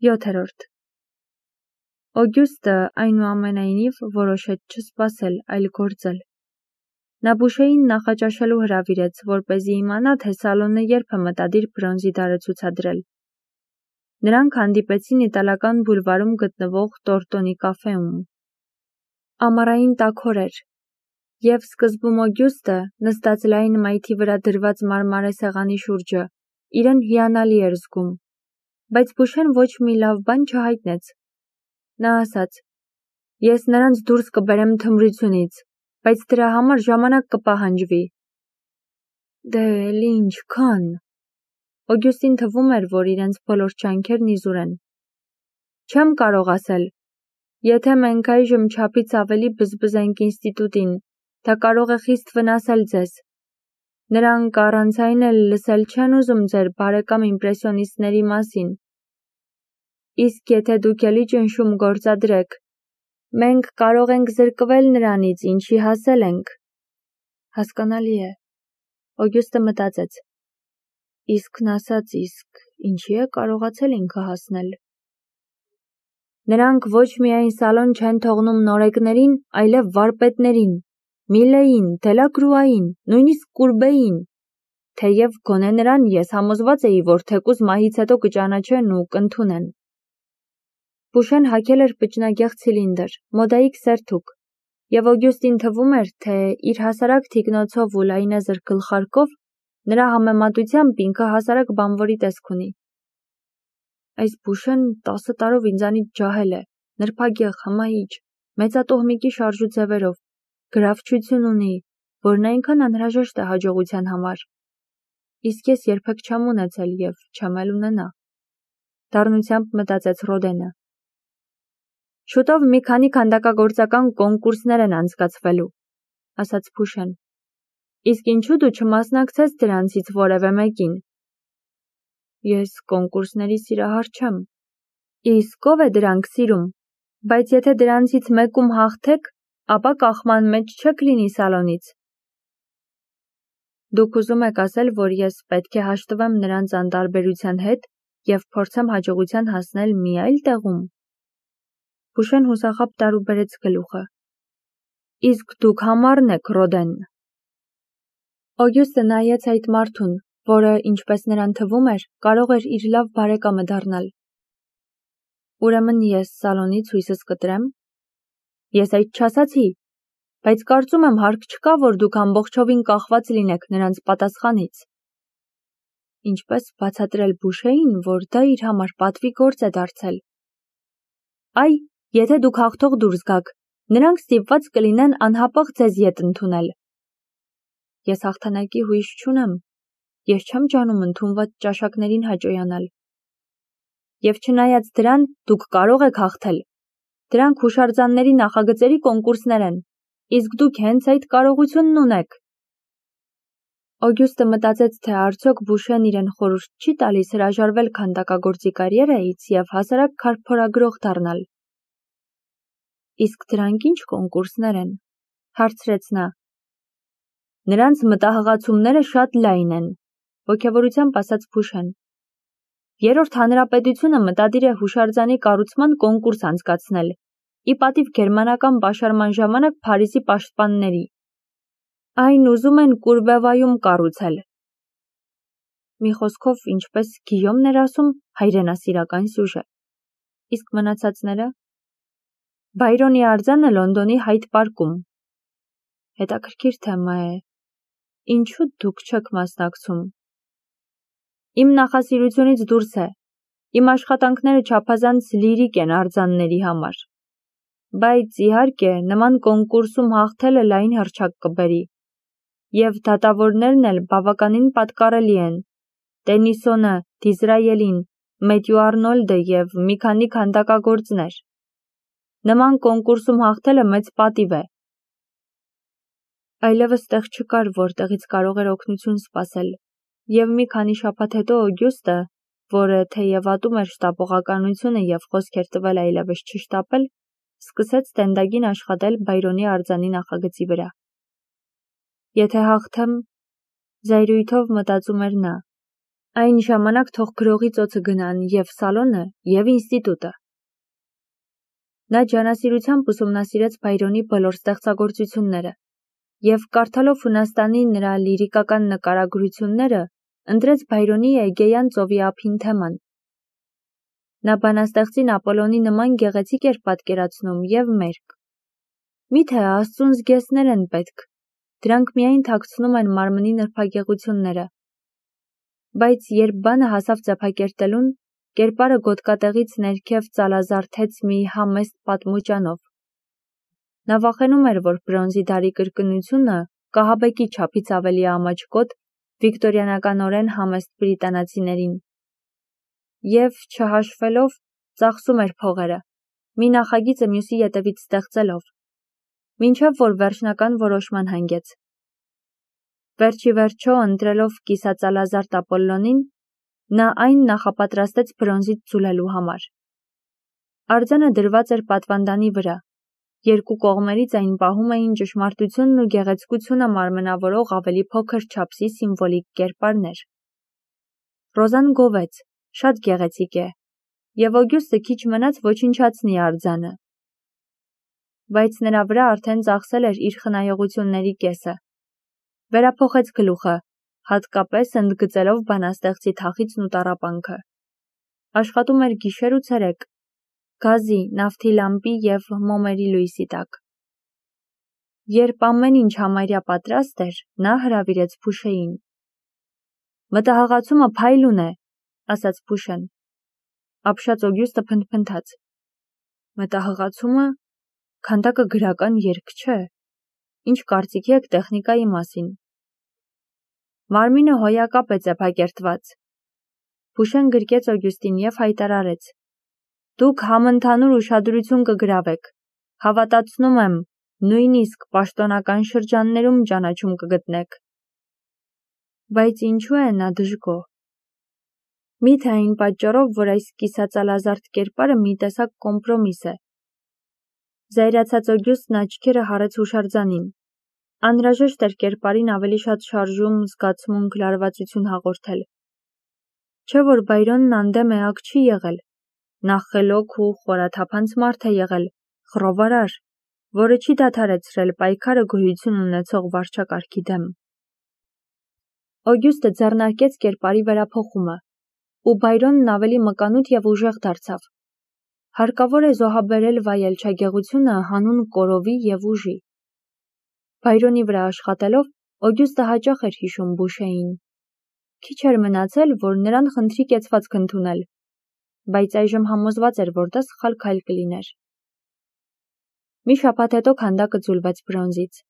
7. Օգյուստը այնուամենայնիվ որոշեց չսպասել, այլ գործել։ Նա Բուշեին նախաճաշելու հրավիրեց, որպեսզի իմանա, թե սալոնը երբ է մտադիր բրոնզի դարը ցուցադրել։ Նրանք հանդիպեցին իտալական բուլվարում գտնվող Տորտոնի կաֆեում։ Ամառային տաքոր էր, և սկզբում Օգյուստը, նստած լայն մայթի վրա դրված մարմարե սեղանի շուրջը, իրեն հիանալի էր զգում, բայց Բուշեն ոչ մի լավ բան չհայտնեց։ Նա ասաց. «Ես նրանց դուրս կբերեմ թմրությունից, բայց դրա համար ժամանակ կպահանջվի»։ Դե էլ ինչքան։ Օգյուստին թվում էր, որ իրենց բոլոր ջանքերն իզուր են։ Չեմ կարող ասել։ Եթե մենք այժմ չափից ավելի բզբզենք ինստիտուտին, դա կարող է խիստ վնասել ձեզ։ Նրանք առանց այն էլ լսել չեն ուզում ձեր բարեկամ իմպրեսիոնիստների մասին։ Իսկ եթե դուք էլի ճնշում գործադրեք, մենք կարող ենք զրկվել նրանից, ինչի հասել ենք։ Հասկանալի է։ Օգյուստը մտածեց. Իսկն ասած, իսկ ինչի է կարողացել ինքը հասնել։ Նրանք ոչ միայն սալոն չեն թողնում նորեկներին, այլև վարպետներին, Միլեին, Դելակրուային, նույնիսկ Կուրբեին, թեև գոնե նրան ես համոզված էի, որ թեկուզ մահից հետո կճանաչեն ու կընդունեն։ Բուշեն հագել էր պճնագեղ ցիլինդր, մոդայիկ սերթուկ, և Օգյուստին թվում էր, թե իր հասարակ թիկնոցով ու լայնազր գլխարկով նրա համեմատությամբ ինքը հասարակ բանվորի տեսք ունի։ Այս Բուշեն 10 տարով ինձանից ջահել է, նրբագեղ, հմայիչ, մեծատոհմիկի շարժուձևերով, գրավչություն ունի, որն այնքան անհրաժեշտ է հաջողության համար։ Իսկ ես երբեք չեմ ունեցել և չեմ էլ ունենա։ Դառնությամբ մտածեց Ռոդենը։ Շուտով մի քանի քանդակագործական կոնկուրսներ են անցկացվելու, ասաց Բուշեն։ Իսկ ինչու դու չմասնակցես դրանցից որևէ մեկին։ Ես կոնկուրսների սիրահար չեմ։ Իսկ ով է դրանք սիրում, բայց եթե դրանցից մեկում հաղթեք, ապա կախման մեջ չեք լինի սալոնից։ Դուք ուզում եք ասել, որ ես պետք է հաշտվեմ նրանց անտարբերության հետ և փորձեմ հաջողության հասնել մի այլ տեղում։ Բուշեն հուսախաբ տարուբերեց գլուխը։ Իսկ դուք համառն եք, Ռոդեն։ Օգյուստը նայեց այդ մարդուն, որը, ինչպես նրան թվում էր, կարող էր իր լավ բարեկամը դառնալ։ Ուրեմն ես սալոնից հույսս կտրեմ։ Ես այդ չասացի, բայց կարծում եմ հարկ չկա, որ դուք ամբողջովին կախված լինեք նրանց պատասխանից։ Ինչպես բացատրել Բուշեին, որ դա իր համար պատվի գործ է դարձել։ Այ, եթե դուք հաղթող դուրս գաք, նրանք ստիպված կլինեն անհապաղ ձեզ ետ ընդունել։ Ես հաղթանակի հույս չունեմ, ես չեմ ջանում ընդունված ճաշակներին հաճոյանալ։ Եվ չնայած դրան, դուք կարող եք հաղթել։ Դրանք հուշարձանների նախագծերի կոնկուրսներ են, իսկ դուք հենց այդ կարողությունն ունեք։ Օգյուստը մտածեց, թե արդյոք Բուշեն իրեն խորհուրդ չի տալիս հրաժարվել քանդակագործի կարիերայից և հասարակ քարփորագրող դառնալ։ Իսկ դրանք ինչ կոնկուրսներ են, հարցրեց նա։ Նրանց մտահղացումները շատ լայն են, ոգևորությամբ ասաց Բուշեն։ Երրորդ հանրապետությունը մտադիր է հուշարձանի կառուցման կոնկուրս անցկացնել, ի պատիվ գերմանական պաշարման ժամանակ Փարիզի պաշտպանների։ Այն ուզում են Կուրբևայում կառուցել։ Մի խոսքով, ինչպես Գիյոմն էր ասում, հայրենասիրական սյուժե։ Իսկ մնացածները։ Բայրոնի արձանը Լոնդոնի Հայդ պարկում։ Հետաքրքիր թեմա է։ Ինչու դուք չեք մասնակցում։ Իմ նախասիրությունից դուրս է։ Իմ աշխատանքները չափազանց լիրիկ են արձանների համար։ Բայց իհարկե, նման կոնկուրսում հաղթելը լայն հռչակ կբերի։ Եվ դատավորներն էլ բավականին պատկառելի են։ Տենիսոնը, Դիզրայելին, Մեթյու Արնոլդը և մի քանի քանդակագործներ։ Նման կոնկուրսում հաղթելը մեծ պատիվ է։ Այլևս տեղ չկար, որտեղից կարող էր օգնություն սպասել, և մի քանի շաբաթ հետո Օգյուստը, որը թեև ատում էր շտապողականությունը և խոսք էր տվել այլևս չշտապել, սկսեց տենդագին աշխատել Բայրոնի արձանի նախագծի վրա։ Եթե հաղթեմ, զայրույթով մտածում էր նա, Այն ժամանակ թող գրողի ծոցը գնան և սալոնը, և ինստիտուտը։ Նա ջանասիրությամբ ուսումնասիրեց Բայրոնի բոլոր ստեղծագործությունները և կարդալով Հունաստանի նրա լիրիկական նկարագրությունները, ընտրեց Բայրոնի Էգեյան ծովի ափին թեման։ Նա բանաստեղծին Ապոլոնի նման գեղեցիկ էր պատկերացնում և մերկ։ Միթե Աստծուն զգեստներ են պետք, դրանք միայն թաքցնում են մարմնի նրբագեղությունները։ Բայց երբ բանը հասավ ծեփակերտելուն, կերպարը գոտկատեղից ներքև ծալազարդեց մի համեստ պատմուճանով։ Նա վախենում էր, որ բրոնզի դարի կրկնությունը կահաբեկի չափից ավելի ամաչկոտ վիկտորիանականորեն համեստ բրիտանացիներին։ Եվ, չհաշվելով, ծախսում էր փողերը, մի նախագիծը մյուսի ետևից ստեղծելով, մինչև որ վերջնական որոշման հանգեց։ Վերջի վերջո, ընտրելով կիսածալազարդ Ապոլլոնին, նա այն նախապատրաստեց բրոնզից ձուլելու համար։ Արձանը դրված էր պատվանդանի վրա, երկու կողմերից այն պահում էին ճշմարտությունն ու գեղեցկությունը մարմնավորող ավելի փոքր չափսի սիմվոլիկ կերպարներ։ Ռոզան գովեց, շատ գեղեցիկ է, և Օգյուստը քիչ մնաց ոչնչացնի արձանը։ Բայց նրա վրա արդեն ծախսել էր իր խնայողությունների կեսը։ Վերափոխեց գլուխը, հատկապես ընդգծելով բանաստեղծի թախիծն ու տառապանքը։ Աշխատում էր գիշեր ու ցերեկ, գազի, նավթի լամպի և մոմերի լույսի տակ։ Երբ ամեն ինչ համարյա պատրաստ էր, նա հրավիրեց Փուշեին։ «Մտահղացումը փայլուն է», ասաց Փուշեն։ Ապշած Օգյուստը փնթփնթաց։ «Մտահղացումը, քանդակը գրական երգ չէ։ Ինչ կարծիքի եք տեխնիկայի մասին»։ Մարմինը հոյակապ է ծեփակերտված։ Փուշեն գրկեց Օգյուստին և հայտարարեց. «Դուք համընդհանուր ուշադրություն կգրավեք, հավատացնում եմ, նույնիսկ պաշտոնական շրջաններում ճանաչում կգտնեք»։ Բայց ինչու է նա դժգոհ։ Միթե այն պատճառով, որ այս կիսածալազարդ կերպարը մի տեսակ կոմպրոմիս է։ Զայրացած Օգյուստն աչքերը հառեց հուշարձանին։ Անհրաժեշտ էր կերպարին ավելի շատ շարժում, զգացմունք, լարվածություն հաղորդել։ Չէ՞ որ Բայրոնն անդեմ էակ չի եղել։ Նա խելոք ու խորաթափանց մարդ է եղել, խռովարար, որը չի դադարեցրել պայքարը գոյություն ունեցող վարչակարգի դեմ։ Օգյուստը ձեռնարկեց կերպարի վերափոխումը, ու Բայրոնն ավելի մկանուտ և ուժեղ դարձավ։ Հարկավոր է զոհաբերել վայելչագեղությունը հանուն կորովի և ուժի։ Բայրոնի վրա աշխատելով, Օգյուստը հաճախ էր հիշում Բուշեին։ Քիչ էր մնացել, որ նրան խնդրի կեցվածք ընդունել, բայց այժմ համոզված էր, որ դա սխալ քայլ կլիներ։ Մի շաբաթ հետո քանդակը ձուլվեց բրոնզից։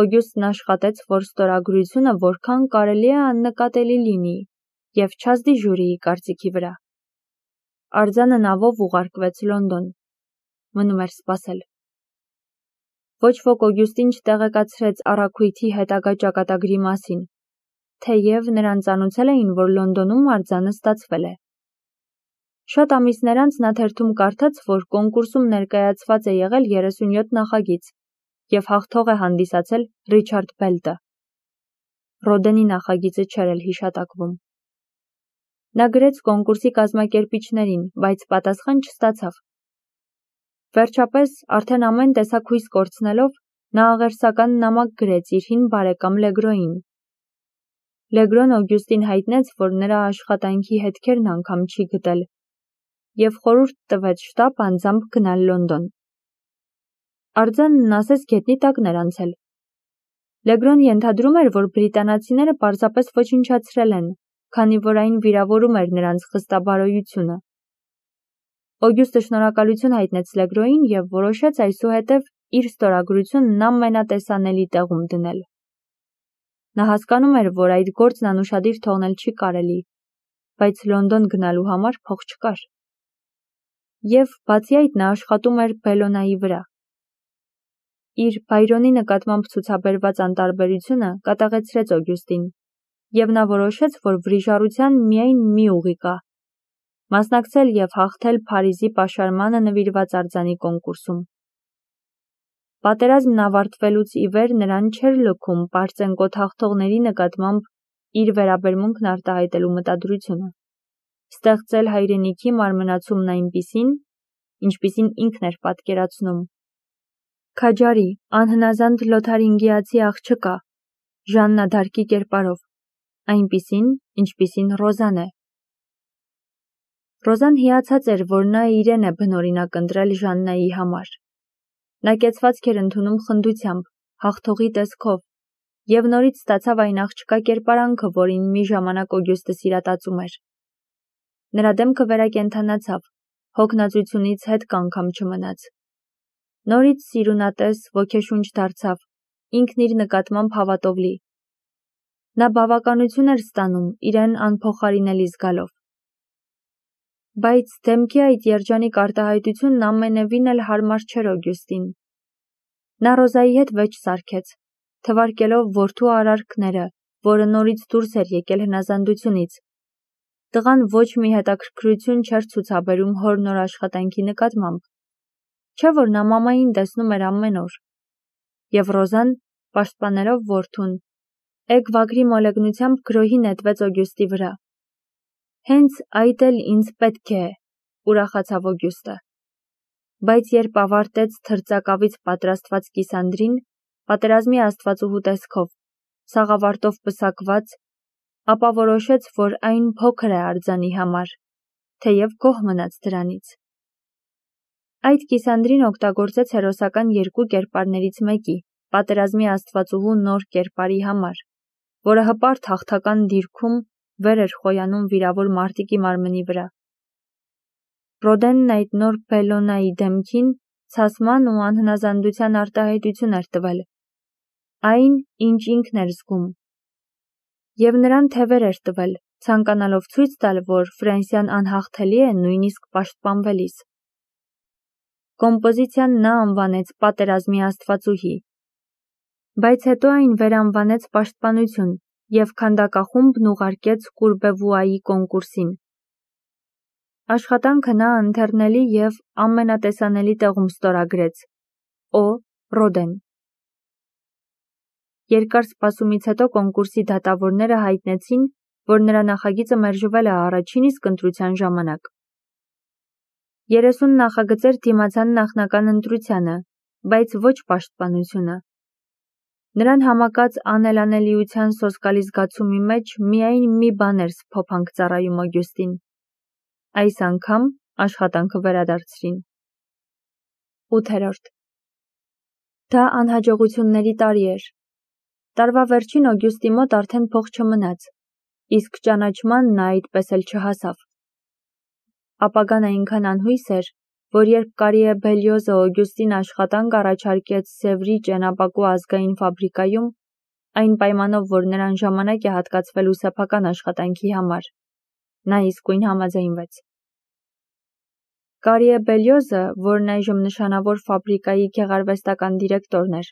Օգյուստն աշխատեց, որ ստորագրությունը որքան կարելի է աննկատելի լինի և չազդի ժյուրիի կարծիքի վրա։ Արձանը նավով ուղարկվեց Լոնդոն։ Մնում էր սպասել։ Ոչ ոք Օգյուստին չտեղեկացրեց առաքույթի հետագա ճակատագրի մասին, թեև նրան ծանուցել էին, որ Լոնդոնում արձանը ստացվել է։ Շատ ամիսներ անց նա թերթում կարդաց, որ կոնկուրսում ներկայացված է եղել 37 նախագիծ և հաղթող է հանդիսացել Ռիչարդ Բելտը։ Ռոդենի նախագիծը չէր էլ հիշատակվում։ Նա գրեց կոնկուրսի կազմակերպիչներին, բայց պատասխան չստացավ։ Վերջապես, արդեն ամեն տեսակ հույս կորցնելով, նա աղերսական նամակ գրեց իր հին բարեկամ Լեգրոյին։ Լեգրոն Օգյուստին հայտնեց, որ նրա աշխատանքի հետքերն անգամ չի գտել, և խորհուրդ տվեց շտապ անձամբ գնալ Լոնդոն։ Արձանն ասես գետնի տակն էր անցել։ Լեգրոն ենթադրում էր, որ բրիտանացիները պարզապես ոչնչացրել են, քանի որ այն վիրավորում էր նրանց խստաբարոյությունը։ Օգյուստը շնորհակալություն հայտնեց Լեգրոյին և որոշեց այսուհետև իր ստորագրությունն ամենատեսանելի տեղում դնել։ Նա հասկանում էր, որ այդ գործն անուշադիր թողնել չի կարելի, բայց Լոնդոն գնալու համար փող չկար։ Եվ բացի այդ նա աշխատում էր Բելոնայի վրա։ Իր Բայրոնի նկատմամբ ցուցաբերված անտարբերությունը կատաղեցրեց Օգյուստին, և նա որոշեց, որ վրիժառության միայն մի ուղի կա՝ մասնակցել և հաղթել Փարիզի պաշարմանը նվիրված արձանի կոնկուրսում։ Պատերազմն ավարտվելուց ի վեր նրան չէր լքում Պարծենկոտ հաղթողների նկատմամբ իր վերաբերմունքն արտահայտելու մտադրությունը, ստեղծել հայրենիքի մարմնացումն այնպիսին, ինչպիսին ինքն էր պատկերացնում։ Քաջարի, անհնազանդ լոթարինգիացի աղջկա, Ժաննա Դարկի կերպարով, այնպիսին, ինչպիսին Ռոզան է։ Ռոզան հիացած էր, որ նա իրեն է բնօրինակ ընտրել Ժաննայի համար։ Նա կեցվածք էր ընդունում խնդությամբ, հաղթողի տեսքով, և նորից ստացավ այն աղջկա կերպարանքը, որին մի ժամանակ Օգյուստը սիրատացում էր։ Նրա դեմքը վերակենդանացավ, հոգնածությունից հետք անգամ չմնաց։ Նորից սիրունատես, ոգեշունչ դարձավ, ինքն իր նկատմամբ հավատով լի։ Նա բավականություն էր ստանում, իրեն անփոխարինելի զգալով։ Բայց դեմքի այդ երջանիկ արտահայտությունն ամենևին էլ հարմար չէր Օգյուստին։ Նա Ռոզայի հետ վեճ սարքեց, թվարկելով որդու արարքները, որը նորից դուրս էր եկել հնազանդությունից։ Տղան ոչ մի հետաքրքրություն չէր ցուցաբերում հոր նոր աշխատանքի նկատմամբ, չէ՞ որ նա մամային տեսնում էր ամեն օր։ Եվ Ռոզան, պաշտպանելով որդուն, էգ-վագրի մոլեգնությամբ գրոհի նետվեց Օգյուստի վրա։ Հենց այդ էլ ինձ պետք է, ուրախացավ Օգյուստը։ Բայց երբ ավարտեց թրծակավից պատրաստված կիսանդրին, պատերազմի աստվածուհու տեսքով, սաղավարտով պսակված, ապա որոշեց, որ այն փոքր է արձանի համար, թեև գոհ մնաց դրանից։ Այդ կիսանդրին օգտագործեց հերոսական երկու կերպարներից մեկի, պատերազմի աստվածուհու նոր կերպարի համար, որը հպարտ հաղթական դիրքում վեր էր խոյանում վիրավոր մարտիկի մարմնի վրա։ Ռոդենն այդ նոր Բելլոնայի դեմքին ցասման ու անհնազանդության արտահայտություն էր տվել, այն, ինչ ինքն էր զգում, և նրան թևեր էր տվել, ցանկանալով ցույց տալ, որ Ֆրանսիան անհաղթելի է նույնիսկ պաշտպանվելիս։ Կոմպոզիցիան նա անվանեց պատերազմի աստվածուհի, բայց հետո այն վերանվանեց պաշտպանություն և քանդակախումբն ուղարկեց Կուրբևուայի կոնկուրսին։ Աշխատանքը նա ընթեռնելի և ամենատեսանելի տեղում ստորագրեց՝ Օ. Ռոդեն։ Երկար սպասումից հետո կոնկուրսի դատավորները հայտնեցին, որ նրա նախագիծը մերժվել է առաջին իսկ ընտրության ժամանակ։ 30 նախագծեր դիմացան նախնական ընտրությանը, բայց ոչ պաշտպանությունը։ Նրան համակած անելանելիության սոսկալի զգացումի մեջ միայն մի բան էր սփոփանք ծառայում Օգյուստին։ Այս անգամ աշխատանքը վերադարձրին։ 8. Դա անհաջողությունների տարի էր։ Տարվա վերջին Օգյուստի մոտ արդեն փող չմնաց, իսկ ճանաչման նա այդպես էլ չհասավ։ Ապագան այնքան անհույս էր, որ երբ Կարիե Բելյոզը Օգյուստին աշխատանք առաջարկեց Սևրի ճենապակու ազգային ֆաբրիկայում, այն պայմանով, որ նրան ժամանակ է հատկացվելու սեփական աշխատանքի համար, նա իսկույն համաձայնվեց։ Կարիե Բելյոզը, որն այժմ նշանավոր ֆաբրիկայի գեղարվեստական դիրեկտորն էր,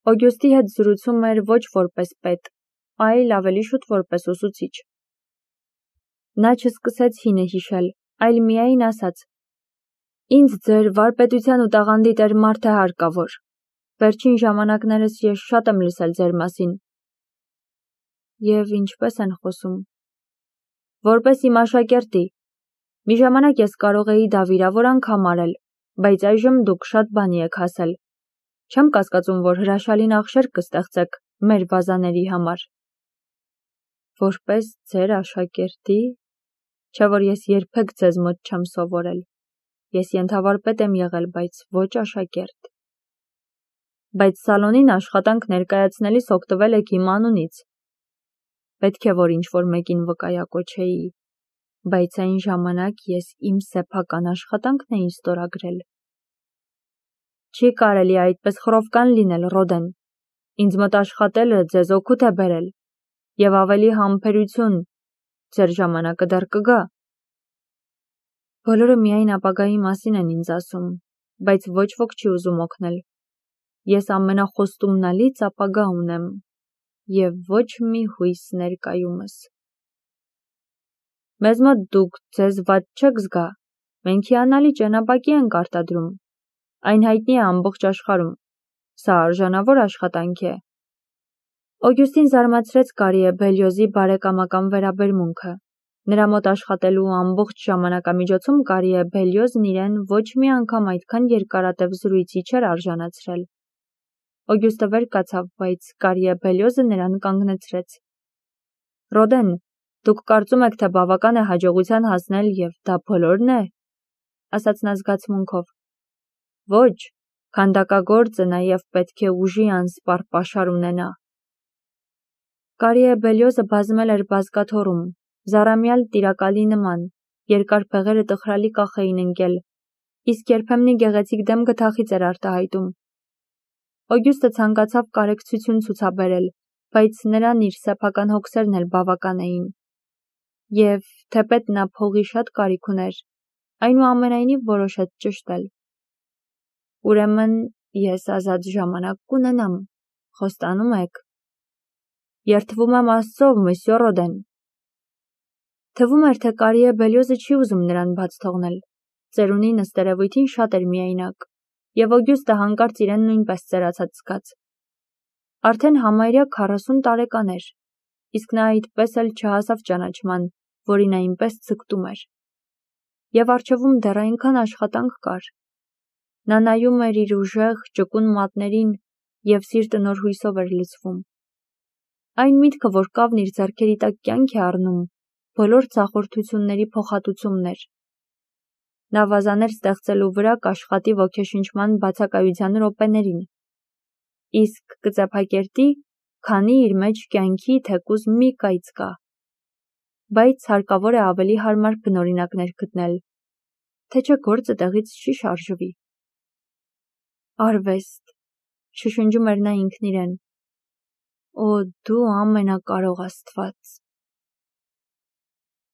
Օգյուստի հետ զրուցում էր ոչ որպես պետ, այլ ավելի շուտ որպես ուսուցիչ։ Նա չսկսեց հինը հիշել, այլ միայն ասաց. «Ինձ ձեր վարպետության ու տաղանդի տեր մարդ է հարկավոր։ Վերջին ժամանակներս ես շատ եմ լսել ձեր մասին»։ Եվ ինչպես են խոսում։ Որպես իմ աշակերտի։ Մի ժամանակ ես կարող էի դա վիրավոր անգամ արել, բայց այժմ դուք շատ բանի եք հասել։ Չեմ կասկածում, որ հրաշալի նախշեր կստեղծեք մեր վազաների համար։ Որպես ձեր աշակերտի, չէ որ ես երբեք ձեզ մոտ չեմ սովորել։ Ես ենթավարպետ եմ եղել, բայց ոչ աշակերտ։ Բայց սալոնին աշխատանք ներկայացնելիս օգտվել եք իմ անունից։ Պետք է որ ինչ-որ մեկին վկայակոչեի, բայց այն ժամանակ ես իմ սեփական աշխատանքն էի ստորագրել։ Չի կարելի այդպես խռովկան լինել, Ռոդեն։ Ինձ մոտ աշխատելը ձեզ օգուտ է բերել, և ավելի համբերություն, ձեր ժամանակը դեռ կգա։ Բոլորը միայն ապագայի մասին են ինձ ասում, բայց ոչ ոք չի ուզում օգնել։ Ես ամենախոստումնալից ապագա ունեմ, և ոչ մի հույս ներկայումս։ Մեզ մոտ դուք ձեզ վատ չեք զգա, մենք հիանալի ճենապակի ենք արտադրում, այն հայտնի է ամբողջ աշխարհում, սա արժանավոր աշխատանք է։ Օգյուստին զարմացրեց Կարիե Բելյոզի բարեկամական վերաբերմունքը։ Նրա մոտ աշխատելու ամբողջ ժամանակամիջոցում Կարիե Բելյոզն իրեն ոչ մի անգամ այդքան երկարատև զրույցի չէր արժանացրել։ Օգյուստը վեր կացավ, բայց Կարիե Բելյոզը նրան կանգնեցրեց։ Ռոդեն, դուք կարծում եք, թե բավական է հաջողության հասնել և դա բոլորն է, ասաց նա զգացմունքով։ Ոչ, քանդակագործը նաև պետք է ուժի անսպառ պաշար ունենա։ Կարիե Բելյոզը բազմել էր բազկաթոռում, զառամյալ տիրակալի նման, երկար փեղերը տխրալի կախ էին ընկել, իսկ երբեմնի գեղեցիկ դեմ գթախից էր արտահայտում։ Օգյուստը ցանկացավ կարեկցություն ցուցաբերել, բայց նրան իր սեփական հոգսերն էլ բավական էին։ Եվ թեպետ նա փողի շատ կարիք ուներ, այնուամենայնիվ որոշեց ճշտել։ Ուրեմն ես ազատ ժամանակ կունենամ, խոստանում եք։ Երդվում եմ Աստծով, մսյո Ռոդեն։ Թվում էր, թե Կարիե Բելյոզը չի ուզում նրան բաց թողնել։ Ծերունին ըստ երևույթին շատ էր միայնակ, և Օգյուստը հանկարծ իրեն նույնպես ծերացած զգաց։ Արդեն համարյա 40 տարեկան էր, իսկ նա այդպես էլ չհասավ ճանաչման, որին այնպես ձգտում էր։ Եվ առջևում դեռ այնքան աշխատանք կար։ Նա նայում էր իր ուժեղ, ճկուն մատներին և սիրտը նոր հույսով էր լցվում։ Այն միտքը, որ կավն իր ձեռքերի տակ կյանք է առնում, բոլոր ձախորդությունների փոխհատուցումն էր։ Նա վազաներ ստեղծելու վրա կաշխատի ոգեշնչման բացակայության րոպեներին, իսկ կծեփակերտի, քանի իր մեջ կյանքի թեկուզ մի կայծ կա։ Բայց հարկավոր է ավելի հարմար բնօրինակներ գտնել, թե չէ գործը տեղից չի շարժվի։ Արվեստ, շշնջում էր նա ինքն իրեն։ Օ, դու ամենակարող Աստված։